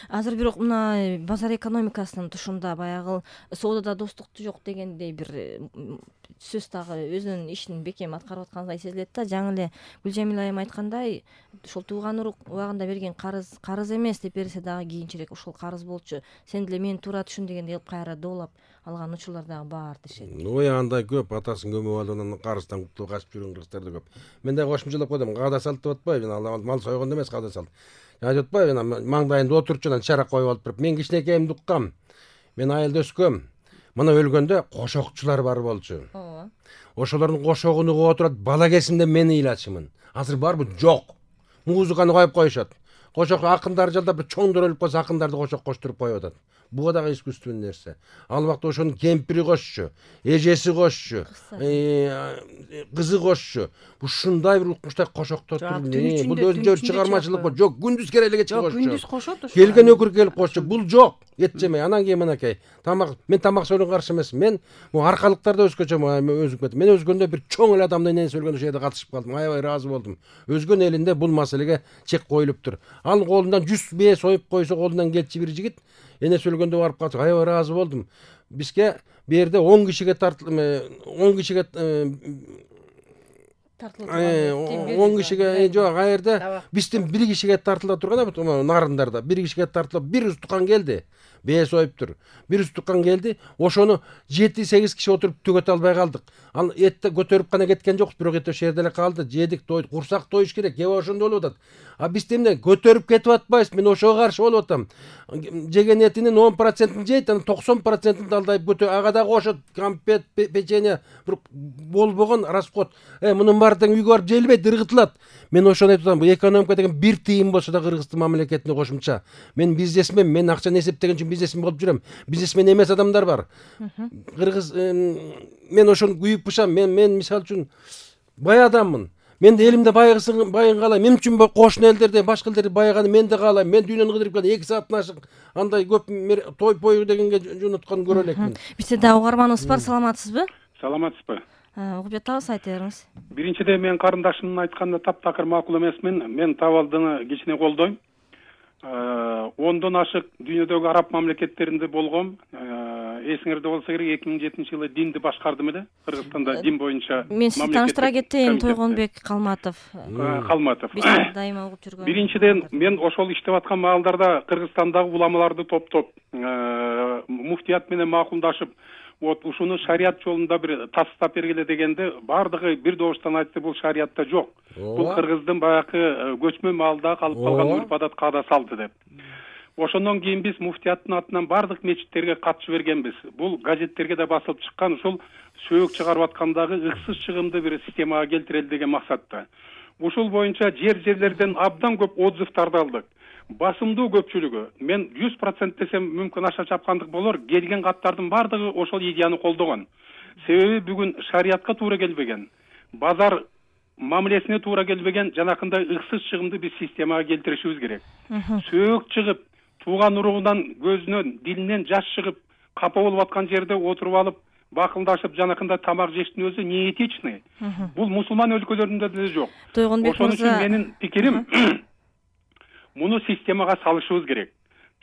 Азыр бирок мына базар экономикасынын тушунда баягы соодада достукту жок дегендей бир сөз дагы өзүнүн ишин бекем аткарып аткандай сезилет да. Жаңы эле Гүлжамил айым айткандай, ошол тууган урук убагында берген карыз эмес деп берсе дагы кийинчерээк ошол карыз болчу, сен деле мени туура түшүн дегендей кылып кайра доолап алган учурлар дагы бар дешет. Ой, андай көп атасын көмүп алып анан карыздан кутулуп качып жүргөн кыргыздар да көп. Мен дагы кошумчалап койдум, каада салт деп атпайбы, мал сойгондо эмес каада салт. Айтып атпайбы, маңдайында отурчу анан чара коюп алып туруп, мен кичинекейимди уккам. Мен айылда өскөм. Мына өлгөндө кошокчулар бар болчу. Ооба. Ошолордун кошогун угуп отурат, бала кезимде мен ыйлачымын. Азыр барбы? Жок. Музыканы коюп коюшат. Кошок акындар жалдап бир чоңдор өлүп калса акындарды кошок коштуруп коюп атат. Буга дагы искусственный нерсе. Ал убакта ошонун кемпири кошчу, эжеси кошчу, кызы кошчу. Ушундай бир укмуштай кошоктор туруп, бул өзүнчө чыгармачылык жок. Күндүз керелеге чыгып кошчу. Күндүз кошот ошо. Келген өкүр келип кошчу. Бул жок. Эт жемей. Анан кийин мынакей. Мен тамак сөйлөгөнгө каршы эмес. Мен аркалыктарда өскөчө өзүп кеттим. Мен өзгөндө бир чоң эле адамдын энеси өлгөндө ошол жерде катышып калдым. Аябай ыраазы болдум. Өзгөн элинде бул маселеге чек коюлуптур. Ал колундан 100 бие союп койсо, колундан келчи бир жигит энеси өлгөндө барып калса, аябай ыраазы болдум. Бизге бу жерде 10 кишиге 10 кишиге 10 кишиге жок, а жерде биздин 1 кишиге тартыла турган нарындарда 1 кишиге тартылып, бир устукан келди. Бие союптур. Бир устукан келди. Ошону 7-8 киши отуруп төгөтө албай калдык. Ал этти көтөрүп гана кеткен жокпуз, бирок эт ошол жерде эле калды. Жедик, тойдук, курсак тоюш керек. Кээ ошондо болуп атат. А биз эмне көтөрүп кетип атпайбыз. Мен ошого каршы болуп атам. Жеген этинин 10%-ын жейт, анан 90%-ын далдайып көтө. Ага дагы кошот, компет, печенье, бир болбогон расход. Мунун баары тең үйгө барып желбейт, ыргытылат. Мен ошону айтып атам. Бу экономика деген бир тыйын болсо да Кыргыздын мамлекетине кошумча. Мен бизнесмен, мен акчаны эсептеген үчүн бизнесмен болуп жүрөм. Бизнесмен эмес адамдар бар. Кыргыз мен ошону күйүп бышам. Мен мисалы үчүн бай адаммын. Мен де элимде байыгын каалайм. Мен үчүн кошуна элдерде, башка элдерде байыганы мен де каалайм. Мен дүйнөнү кыдырып келем. 2 сааттан ашык андай көп той пой дегенге жөнөткөн көрө элекмин. Бизде дагы угарманыбыз бар, саламатсызбы? Саламатсызбы? Угуп жатабыз, айта бериңиз. Биринчиден мен карындашымдын айтканына таптакыр макул эмесмин. Мен табалдыны кичине колдойм. 10дон ашык дүйнөдөгү араб мамлекеттеринде болгом. Эсиңерде болсо керек, 2007-жылы динди башкардым эле. Кыргызстанда дин боюнча мен сизди тааныштыра кетейин, Тойгонбек Калматов. Биз дайыма угуп жүргөн. Биринчиден мен ошол иштеп аткан маалдарда Кыргызстандагы уламаларды топтоп, муфтият менен макулдашып, ушуну шарият жолунда бир тастап бергиле дегенде, бардыгы бир добуштан айтты, бул шариятта жок. Бул Кыргыздын баягы көчмө маалда калып калган урп-адат, каада салты деп. Ошондон кийин биз муфтияттын атынан бардык мечиттерге катышып бергенбиз. Бул газеттерге да басылып чыккан, ушул сөөк чыгарып аткандагы ыксыз чыгымды бир системага келтирели деген максатта. Ушул боюнча жерлерден абдан көп отзывдарды алдык. Басымдуу көпчүлүгү, мен 100% десем мүмкүн аша чапкандык болор, келген каттардын бардыгы ошол идеяны колдогон. Себеби бүгүн шариятка туура келбеген, базар мамилесине туура келбеген жанакындай ыксыз чыгымды биз системага келтиришибиз керек. Сөөк чыгып, тууган уругунан көзүнөн, дилинен жаш чыгып, капа болуп аткан жерде отуруп алып, бакылдашып жанакында тамак жештин өзү неэтичный. Бул мусулман өлкөлөрүндө деле жок. Ошон үчүн менин пикирим, муну системага салышыбыз керек.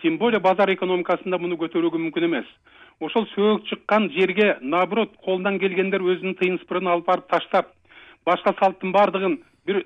Тем более базар экономикасында муну көтөрүүгө мүмкүн эмес. Ошол сөөк чыккан жерге наоборот колунан келгендер өзүнүн тыйын сыпырын алып барып таштап, башка салттын бардыгын бир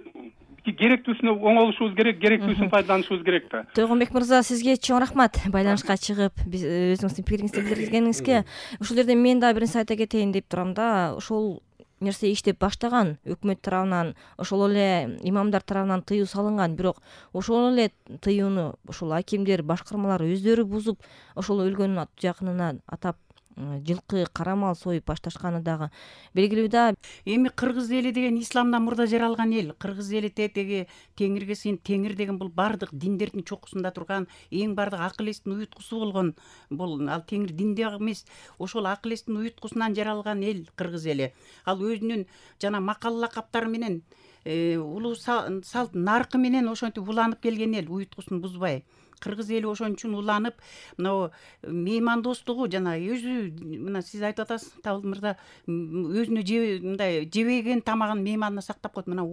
керектүүсүнө оңолушубуз керек, керектүүсүн пайдаланышыбыз керек да. Тойгонбек мырза, сизге чоң рахмат байланышка чыгып, өзүңүздүн пикириңизди билдиргениңизге. Ушул жерде мен дагы бир нерсе айта кетейин деп турам да. Ошол нерсе иштеп баштаган өкмөт тарабынан, ошол эле имамдар тарабынан тыюу салынган, бирок ошол эле тыюуну ошол акимдер, башкармалар өздөрү бузуп, ошол өлгөн жакынына атап жылкы, кара мал союп башташканы дагы белгилүү да. Эми кыргыз эли деген исламдан мурда жаралган эл. Кыргыз эли тетеги теңирге сыйын. Теңир деген бул бардык диндердин чокусунда турган эң бардык акыл эстин уюткусу болгон. Бул ал теңир динде эмес, ошол акыл эстин уюткусунан жаралган эл кыргыз эли. Ал өзүнүн жана макал лакаптары менен улуу салт наркы менен ошентип уланып келген эл, уюткусун бузбай. кыргыз эли ошон үчүн уланып, мына меймандостугу жана өзү мына сиз айтып атасыз Табылдын мырза, өзүнө мындай жебеген тамагын мейманына сактап коет. Мына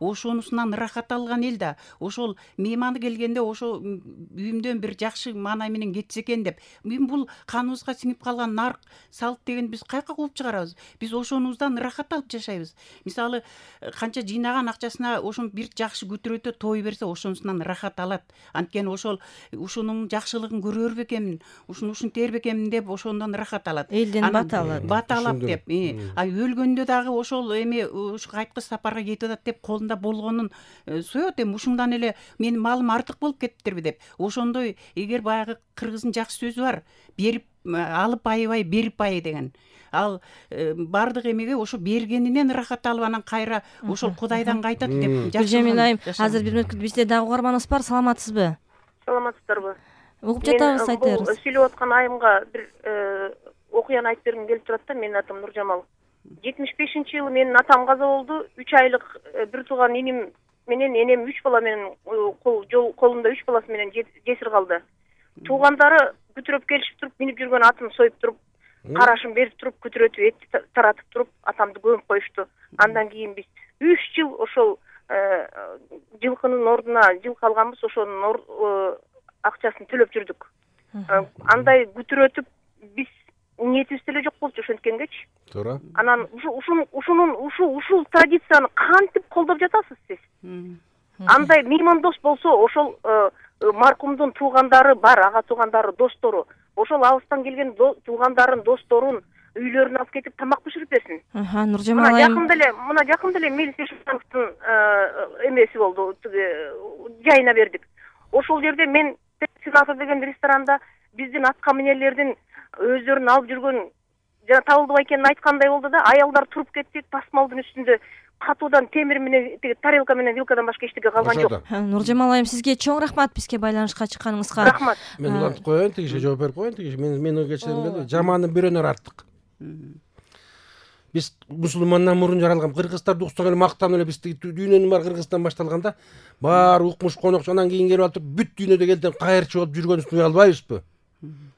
ошонусунан ырахат алган эл да. Ошол мейманы келгенде ошо үйүмдөн бир жакшы маанай менен кетсе экен деп. Бул каныбызга сиңип калган нарк салт деген биз каяка кууп чыгарабыз? Биз ошонубуздан ырахат алып жашайбыз. Мисалы, канча жыйнаган акчасына ошон бир жакшы көтөрөтө той берсе, ошонусунан ырахат алат. Анткени ушунун жакшылыгын көрөр бекемин, ушинтер бекемин деп ошондон ырахат алат. Элден бата алат. Бата алат деп. Өлгөндө дагы ошол ушу кайткы сапарга кетип атат деп колунда болгонун соет. Ушундан эле менин малым артык болуп кетиптерби деп. Ошондой эгер баягы кыргыздын жакшы сөзү бар, берип алып айыбай, берип ай деген. Ал бардык эмеге ошо бергенинен ырахат алып, анан кайра ошол Кудайдан кайтат деп. Гүлжамил айым, азыр бир мүнөткө бизде дагы угарманыбыз бар. Саламатсызбы? Саламатсыздарбы? Угуп жатабыз, айтыңыз. Бул сүйлөп аткан айымга бир окуяны айтып бергим келип турат да. Менин атым Нуржамал. 75-жылы менин атам каза болду. 3 айлык бир тууган иним менен энем 3 бала менен колунда 3 баласы менен жесир калды. Туугандары күтүрөп келишип туруп, минип жүргөн атын союп туруп, карашын берип туруп, күтүрөтүп, этти таратып туруп, атамды көмүп коюшту. Андан кийин биз 3 жыл ошол жылкынын ордуна жылкы алганбыз, ошонун акчасын төлөп жүрдүк. Андай күтүрөтүп биз ниетибиз деле жок болчу ошенткенгечи. Туура. Анан ушул традицияны кантип колдоп жатасыз сиз? Андай меймандос болсо, ошол маркумдун туугандары бар, ага туугандары, достору. Ошол алыстан келген туугандарын, досторун үйлөрүнө алып кетип тамак бышырып берсин. Нуржамал айым. Жакын деле Мелис Эшановдун эмеси болду, жайына бердик. Ошол жерде мен Сенатор деген ресторанда биздин атка минерлердин өздөрүн алып жүргөн жана Табылды байкенин айткандай болду да, аялдар туруп кетти, тасмалдын үстүндө катуудан темир менен, тарелка менен вилкадан башка эчтеке калган жок. Нуржамал айым, сизге чоң рахмат бизге байланышка чыкканыңызга. Рахмат. Мен улантып коеюн, тигише жооп берип коеюн, тигише мен кечирим келди. Жаманы бирөөнөр арттык. Биз мусулмандан мурун жаралган кыргыздар уксак эле мактанып эле бизди дүйнөнүн баары Кыргызстан башталганда баары укмуш конокчу, анан кийин келип алып бүт дүйнөдө элден кайырчы болуп жүргөнүбүздүн уял албайбызбы?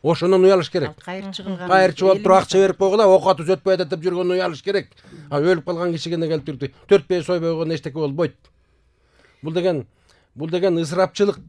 Ошондон уялыш керек. Кайырчы кылган. Кайырчы болуп туруп акча берип койгула, ок атып өтпөй атат деп жүргөнүн уялыш керек. Өлүп калган кишиге келип турду. 4 сойбой койгондо эчтеке болбойт. Бул деген ысырапчылык.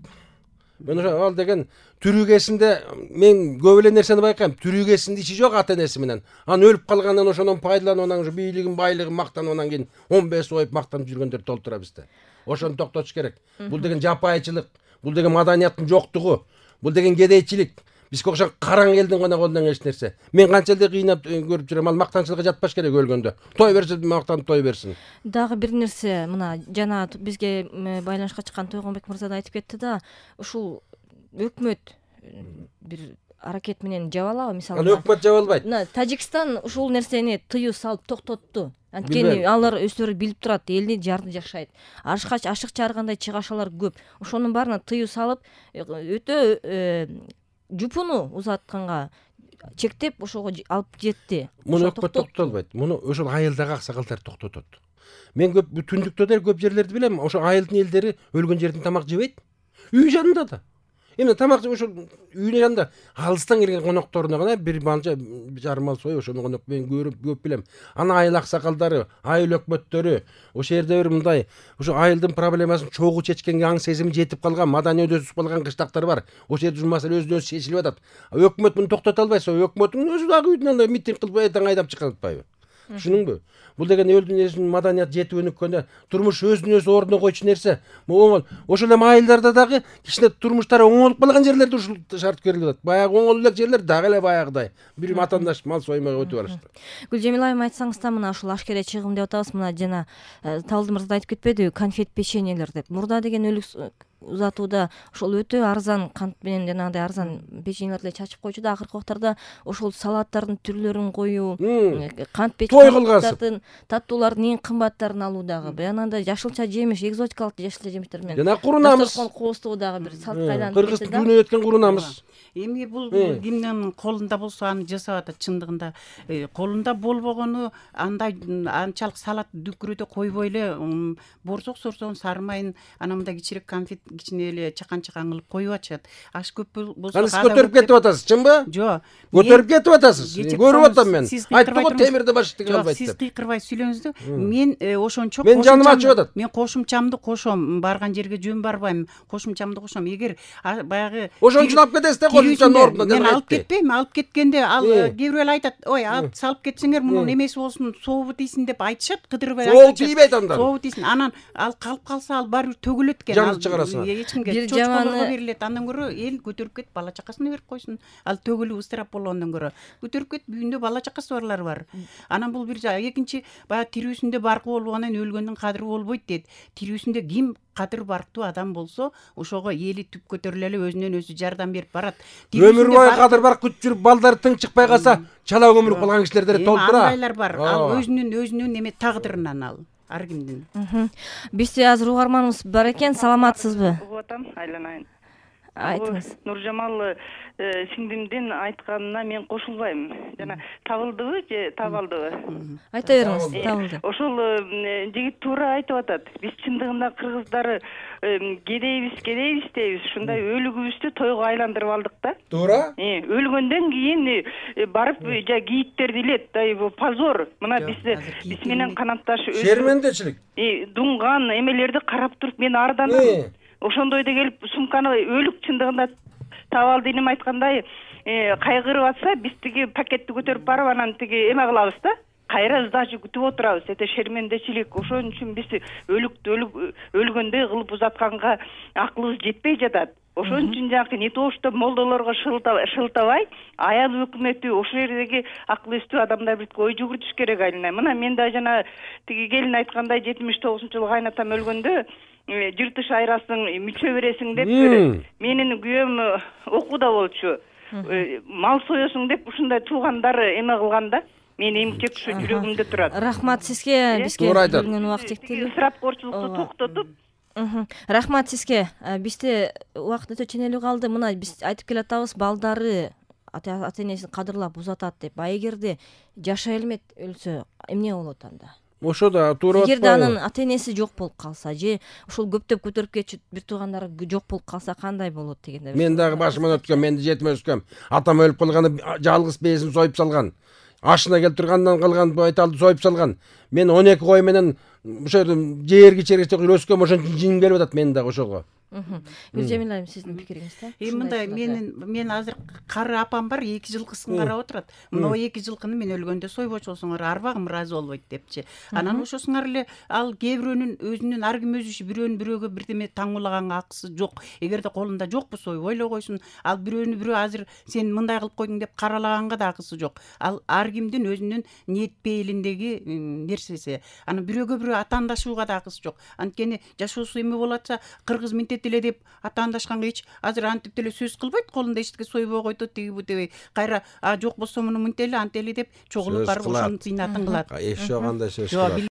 Мен ал деген түрүгесинде мен көп эле нерсени байкайм. Түрүгесинде иши жок ата энеси менен. Анан өлүп калгандан ошондон пайдаланып, анан ушу бийлигин, байлыгын мактанып, анан кийин 15 сойуп мактанып жүргөндөр толтура бизде. Ошону токтотуш керек. Бул деген жапайчылык, бул деген маданияттын жоктугу, бул деген кедейчилик. Бизге окшогон караң элдин гана колунан эч нерсе. Мен канча эле кыйнап көрүп жүрөм, ал мактанчылыкка жатпаш керек өлгөндө. Той берсе мактанып той берсин. Дагы бир нерсе, мына жана бизге байланышка чыккан Тойгонбек мырза да айтып кетти да, ушул өкмөт бир аракет менен жабалабы, мисалы. Аны өкмөт жабалбайт. Тажикстан ушул нерсени тыюу салып токтотту. Анткени алар өздөрү билип турат, элди жарды жашайт. Ашыкча ар кандай чыгашалар көп. Ошонун баарына тыюу салып, өтө жупуну узатканга чектеп ошого алып жетти. Муну өкмөт токтото албайт. Муну ошол айылдагы аксакалдар токтотот. Мен көп түндүктө да көп жерлерди билем. Ошо айылдын элдери өлгөн жерден тамак жебейт. Үй жанында да. Эми тамак ошол үйүнүн жанында алыстан келген конокторуна гана бир манча жарым ал союп ошону конок мен көп билем. Анан айыл аксакалдары, айыл өкмөттөрү ошол жерде бир мындай ошо айылдын проблемасын чогуу чечкенге аң сезими жетип калган, маданий өсүп калган кыштактар бар. Ошол жерде маселе өзүнөн өзү чечилип атат. Өкмөт муну токтото албайса, өкмөттүн өзү дагы үйдөн митинг кылып эртең айдап чыккан атпайбы? Түшүнүңбү? Бул деген элдин маданият жетип өнүккөндө турмуш өзүнүн өзү ордуна койчу нерсе. Ошол эми айылдарда дагы кичине турмуштары оңолуп калган жерлерде ушул шарт берилип атат. Баягы оңолуу элек жерлер дагы эле баягыдай бир матандаш мал соймой өтүп барышты. Гүлжамил айым, айтсаңыз да, мына ушул ашкере чыгым деп атабыз, мына жана Табылды мырза айтып кетпедиби, конфет печеньелер деп. Мурда деген өлүк узатууда ошол өтө арзан кант менен жанагындай арзан печеньелерди чачып койчу да, акыркы убактарда ошол салаттардын түрлөрүн коюу, кант печеньелердин таттуулардын эң кымбаттарын алуу дагы, анандай жашылча жемиш, экзотикалык жашылча жемиштер менен жана курунамыз. кооздугу дагы бир салт кайдан кыргыз дүйнө өткөн курунамыз. Эми бул кимдин колунда болсо аны жасап атат. Чындыгында колунда болбогону андай анчалык салат дүкүрөдө койбой эле борсок сорсоң сарымайын анан мындай кичирээк конфет кичине эле чакан кылып коюп атышат. Аш көп болсо Сиз көтөрүп кетип атасыз, чынбы? Жок. Көтөрүп кетип атасыз. Көрүп атам мен. Айттым го темирди баш деген албайт деп. Сиз кыйкырбай сүйлөңүздү. Мен ошончо мен жаным ачып атат. Мен кошумчамды кошом. Барган жерге жөн барбайм. Кошумчамды кошом. Эгер баягы ошон үчүн алып кетесиз да кошумчанын ордуна деп мен алып кетпейм. Алып кеткенде ал кээ бирөө эле айтат, ой, алып салып кетсеңер мунун эмеси болсун, сообу тийсин деп айтышат. Кыдырбай айтат. Сообу тийбейт анда. Сообу тийсин. Анан ал калып калса ал баары бир төгүлөт экен. Жанды чыгарасың. Эч кимге чочколорго берилет. Андан көрө эл көтөрүп кетип бала чакасына берип койсун. Ал төгүлүп ыстырап болгондон көрө көтөрүп кетип үйүндө бала чакасы барлар бар. Анан бул бир экинчи баягы тирүүсүндө баркы болгондон өлгөндүн кадыры болбойт дейт. Тирүүсүндө ким кадыр барктуу адам болсо ошого эли түп көтөрүлө эле өзүнөн өзү жардам берип барат. Өмүр бою кадыр барк күтүп жүрүп балдары тың чыкпай калса чала көмүлүп калган кишилер толтура. Андайлар бар. Ал өзүнүн эме тагдырынан ал. Ар кимдин. Бизде азыр угарманыбыз бар экен. Саламатсызбы? Угуп атам, айланайын. Айтыңыз. Нуржамал сиңдимдин айтканына мен кошулбайм. Жана табылдыбы же табалдыбы? Айта бериңиз, табылды. Ошол жигит туура айтып атат. Биз чындыгында кыргыздары кедейбиз дейбиз. Ушундай өлүгүбүздү тойго айландырып алдык да. Туура? Өлгөндөн кийин барып кийиттерди илет. Бул позор. Мына биз менен канатташ шермендечилик. Дунган эмелерди карап туруп мен арданам. Ошондойдо келип сумканы өлүк чындыгында табалды инем айткандай кайгырып атса биз тиги пакетти көтөрүп барып анан тиги эме кылабыз да. Кайра сдача күтүп отурабыз. Это шермендечилик. Ошон үчүн биз өлгөндөй кылып узатканга акылыбыз жетпей жатат. Ошон үчүн жанакы не то что молдолорго шылтабай, аял өкмөтү ошол жердеги акыл эстүү адамдар бир ой жүгүртүш керек айылына. Мына мен да жана тиги келин айткандай 79-жылы кайнатам өлгөндө жыртыш айрасың, мүчө бересиң деп менин күйөөм окууда болчу. Мал соесуң деп ушундай туугандары эме кылганда мен эмчек ушу жүрөгүмдө турат. Рахмат сизге. Бизге бөлүнгөн убакыт чектелүү. Ысырапкорчулукту токтотуп. Рахмат сизге. Бизде убакыт өтө ченелүү калды. Мына биз айтып келатабыз, балдары ата-энесин кадырлап узатат деп. А эгерде жашай элмет өлсө эмне болот анда? Ошо да туура атпайбы? Эгерде анын ата-энеси жок болуп калса же ушул көптөп көтөрүп кетчү бир туугандары жок болуп калса кандай болот дегенде. Мен дагы башыман өткөн, мен жетим өскөм. Атам өлүп калганда жалгыз бээсин союп салган. Ашына келип тургандан калган байталды союп салган. Мен 12 кой менен ошо жерге чергечте өскөм, ошон үчүн жиң келип атат мен дагы ошого. Гүлжамил айым, сиздин пикириңизде? Мындай мен азыр кары апам бар, 2 жылкысын карап отурат. Мына 2 жылкыны мен өлгөндө сойбочусуңар, арбагым ыраазы болбойт депчи. Анан ошосуңар эле ал кээ бирөөнүн өзүнүн ар ким өзү бирөөгө бирдеме таңуулаганга акысы жок. Эгерде колунда жокпу сойбой эле койсун. Ал бирөө азыр сен мындай кылып койдуң деп каралаганга да акысы жок. Ал ар кимдин өзүнүн ниет пейилиндеги нерсеси. Анан бирөөгө атаандашууга да акысы жок. Анткени жашоосу эме болот атса кыргыз эле деп атаандашканга эч азыр антип деле сөз кылбайт, колунда эчтеке сойбой койду тиги бу дебей. Кайра жок болсо муну мынтели антели деп чогулуп барып ошонун зыйнатын кылат. Эч жок андай сөз кылат.